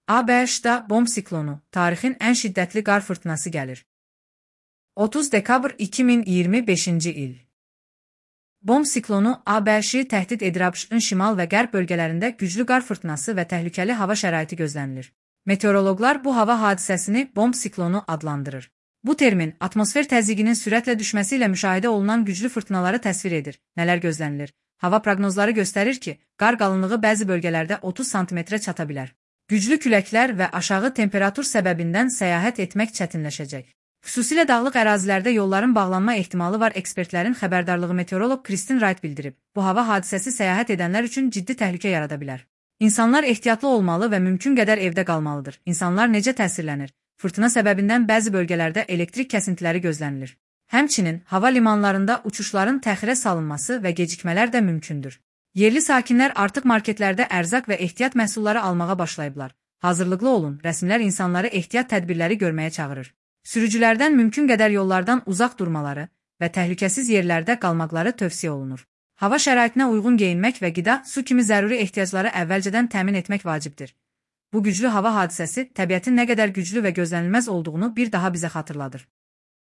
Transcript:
ABŞ-da bomb siklonu, tarixin ən şiddətli qar fırtınası gəlir. 30 dekabr 2025-ci il. Bomb siklonu ABŞ-i təhdid edir. ABŞ-ın şimal və qərb bölgələrində güclü qar fırtınası və təhlükəli hava şəraiti gözlənilir. Meteoroloqlar bu hava hadisəsini bomb siklonu adlandırır. Bu termin, atmosfer təzyiqinin sürətlə düşməsi ilə müşahidə olunan güclü fırtınaları təsvir edir. Nələr gözlənilir? Hava proqnozları göstərir ki, qar qalınlığı bəzi bölgələrdə 30 sm-ə çata bilər. Güclü küləklər və aşağı temperatur səbəbindən səyahət etmək çətinləşəcək. Xüsusilə dağlıq ərazilərdə yolların bağlanma ehtimalı var. Ekspertlərin xəbərdarlığı meteoroloq Kristin Wright bildirib. Bu hava hadisəsi səyahət edənlər üçün ciddi təhlükə yarada bilər. İnsanlar ehtiyatlı olmalı və mümkün qədər evdə qalmalıdır. İnsanlar necə təsirlənir? Fırtına səbəbindən bəzi bölgələrdə elektrik kəsintiləri gözlənilir. Həmçinin, hava limanlarında uçuşların təxirə salınması və gecikmələr də mümkündür. Yerli sakinlər artıq marketlərdə ərzaq və ehtiyat məhsulları almağa başlayıblar. Hazırlıqlı olun, rəsmilər insanları ehtiyat tədbirləri görməyə çağırır. Sürücülərdən mümkün qədər yollardan uzaq durmaları və təhlükəsiz yerlərdə qalmaqları tövsiyə olunur. Hava şəraitinə uyğun geyinmək və qida, su kimi zəruri ehtiyacları əvvəlcədən təmin etmək vacibdir. Bu güclü hava hadisəsi təbiətin nə qədər güclü və gözlənilməz olduğunu bir daha bizə xatırladır.